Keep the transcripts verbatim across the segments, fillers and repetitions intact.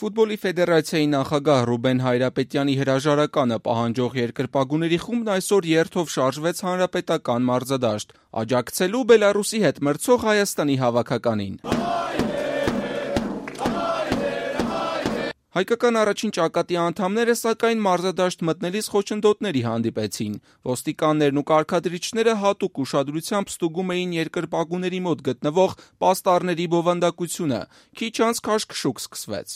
Ֆուտբոլի ֆեդերացիայի նախագահ Ռուբեն Հայրապետյանի հրաժարականը պահանջող երկրպագուների խումբն այսօր երթով շարժվեց հանրապետական մարզադաշտ, աջակցելու Բելառուսի հետ մրցող Հայաստանի հավաքականին։ Հայկական առաջին ճակատի անդամները, սակայն մարզադաշտ մտնելիս խոչընդոտների հանդիպեցին։ Ոստիկաններն ու կարգադրիչները հատուկ ուշադրությամբ ստուգում էին երկրպագուների մոտ գտնվող պաստառների բովանդակությունը։ Քիչ անց քաշքշուկ սկսվեց։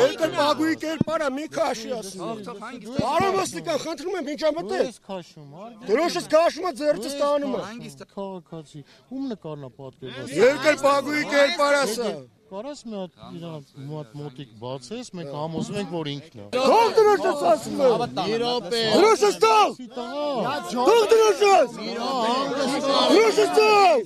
Երկրպագուի կերպարը մի քաշի ասում։ Պարոն ոստիկան, խնդրում եմ, ինչա մտել։ Դրոշս քաշում է, ձեռքս տանում է։ Քաղաքացի, ում նկարն է պատկերված։ Երկրպագուի կերպարը ասա։ Կարաս մի հատ իրան մոտ մոտիկ բացես, մենք համոզում ենք, որ ինքն է։ Թող դրոշս ասում եմ։ Մի րոպե։ Դրոշս տալ։ Թող դրոշս։ Դրոշս տալ։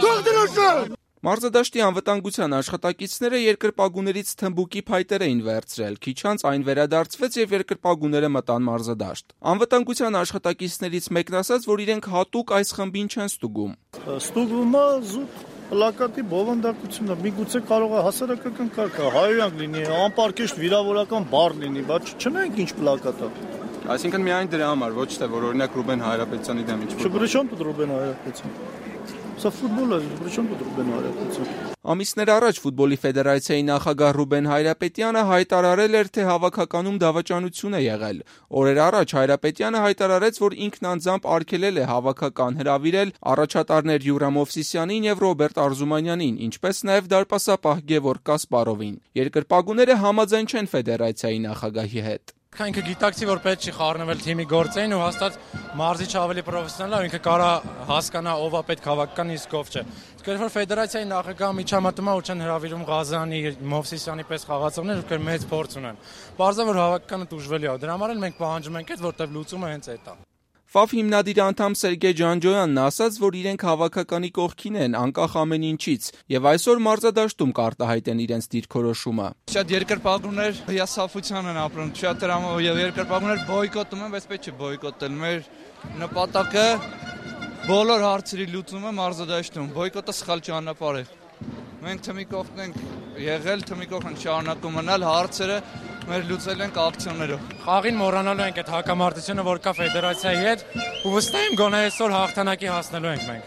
Թող դրոշս։ Մարզադաշտի անվտանգության աշխատակիցները երկրպագուներից թմբուկի փայտեր էին վերցրել, քիչ անց այն վերադարձվեց եւ երկրպագուները մտան մարզադաշտ։ Անվտանգության աշխատակիցներից մեկն ասաց, որ իրենք հատուկ այս խմբին չեն ստուգում։ Ստուգվում է զուտ պլակատի բովանդակությունը, միգուցե կարող է հասարակական կարգը, հայերենակ լինի, անպարկեշտ վիրավորական բառ լինի, բայց չնայենք ինչ պլակատ է։ Այսինքն միայն դրա համար, ոչ թե որ օրինակ Ռուբեն Հայրապետյանի դեմ ինչ-որ։ Չբրիշոն դու Ռուբեն Հայրապետյան։ Սա ֆուտբոլ է, բրիշոն դու Ռուբեն Հայրապետյան։ Ամիսներ առաջ Ֆուտբոլի ֆեդերացիայի նախագահ Ռուբեն Հայրապետյանը հայտարարել էր, թե հավաքականում դավաճանություն է եղել։ Օրեր առաջ Հայրապետյանը հայտարարեց, որ ինքն անձամբ արգելել է հավաքական հրավիրել առաջատարներ Յուրամ Մովսիսյանին եւ Ռոբերտ Արզումանյանին, ինչպես նաեւ դարպասապահ Գևորգ Կասպարովին։ Երկրպագուները համաձայն չեն ֆեդերացիայի նախագահի հետ։ Ինքը գիտակցի, որ պետք չի խառնվել թիմի գործերին ու հաստատ մարզիչը ավելի պրոֆեսիոնալ է, ինքը կարա հասկանա ով է պետք հավաքական, իսկ ով չէ։ Իսկ երբ որ ֆեդերացիայի նախագահը միջամտում է ու չեն հրավիրում Ղազանի, Մովսիսյանի պես խաղացողներ, ովքեր մեծ փորձ ունեն։ Պարզա որ հավաքականը տուժվելի է։ Դրա համար էլ մենք պահանջում ենք այդ, որտեղ լուծումը հենց այդ է։ Ֆ հիմնադիր անդամ Սերգեյ Ջանջոյանն ասաց, որ իրենք հավաքականի կողքին են, անկախ ամեն ինչից, եւ այսօր մարզադաշտում կարտահայտեն իրենց դիրքորոշումը։ Շատ երկրպագուներ հիասթափության են ապրում, շատ դրամով եւ երկրպագուներ բոյկոտում են, բայց պետք չէ բոյկոտել։ Մեր նպատակը բոլոր հարցերի լուծումը մարզադաշտում, բոյկոտը սխալ ճանապարհ է։ Մենք թմի կողքն ենք եղել, թմի կողքն շարունակում մնալ, հարցերը մեր լուծել ենք ակցիոներով։ Խաղին մոռանալու ենք այդ հակամարտությունը, որ կա ֆեդերացիայի հետ, ու վստահ եմ գոնե այսօր հաղթանակի հասնելու ենք մենք։